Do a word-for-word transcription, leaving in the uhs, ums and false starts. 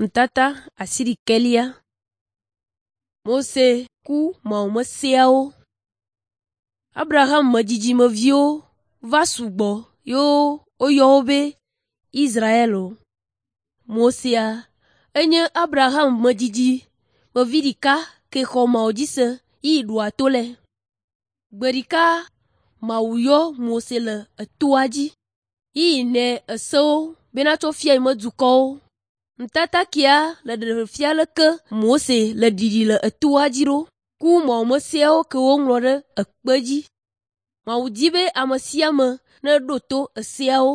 Nutata asiɖikelia. Mose ku mawumeseawo. Abraham me dzidzimeviwo va sugbɔ yewo woyɔ wo be Israelwo. Mosea enye Abraham me dzidzimevi ɖeka ke xɔ Mawu dzi se yi ɖoa to lɛ. Gbe ɖeka Mawu yɔ Mose le etoa dzi yi nɛ esewo bena tsɔ fia yi me dukɔwo. Nutata kia le ɖeɖe fia leke Mose le ɖiɖi le etoa dzi ɖo ku mawumeseawo ke woŋlɔ ɖe ekpe dzi. Mawu di be ame sia ame neɖo to eseawo.